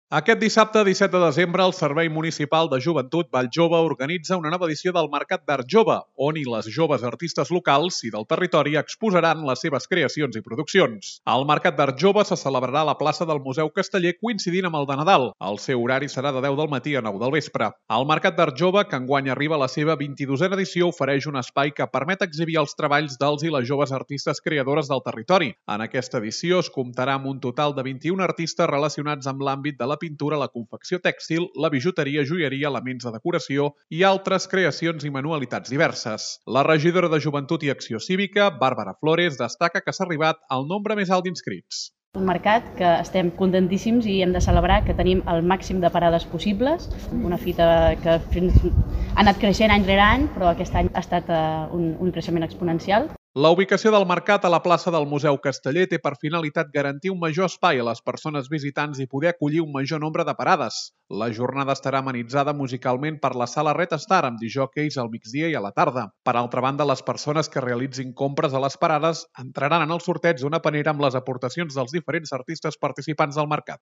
Aquest dissabte, 17 de desembre, el Servei Municipal de Joventut Valljove organitza una nova edició del Mercat d'Art Jove, on les joves artistes locals i del territori exposaran les seves creacions i produccions. El Mercat d'Art Jove se celebrarà a la plaça del Museu Casteller coincidint amb el de Nadal. El seu horari serà de 10 del matí a 9 del vespre. El Mercat d'Art Jove, que enguany arriba a la seva 22a edició, ofereix un espai que permet exhibir els treballs dels i les joves artistes creadores del territori. En aquesta edició es comptarà amb un total de 21 artistes relacionats amb l'àmbit de la pintura, la confecció tèxtil, la bijuteria, joieria, elements de decoració i altres creacions i manualitats diverses. La regidora de Joventut i Acció Cívica, Bàrbara Flores, destaca que s'ha arribat al nombre més alt d'inscrits. Un mercat que estem contentíssims i hem de celebrar que tenim el màxim de parades possibles. Una fita que ha anat creixent any rere any, però aquest any ha estat un creixement exponencial. La ubicació del mercat a la plaça del Museu Casteller té per finalitat garantir un major espai a les persones visitants i poder acollir un major nombre de parades. La jornada estarà amenitzada musicalment per la sala Red Star amb disjòqueis al migdia i a la tarda. Per altra banda, les persones que realitzin compres a les parades entraran en el sorteig d'una panera amb les aportacions dels diferents artistes participants del mercat.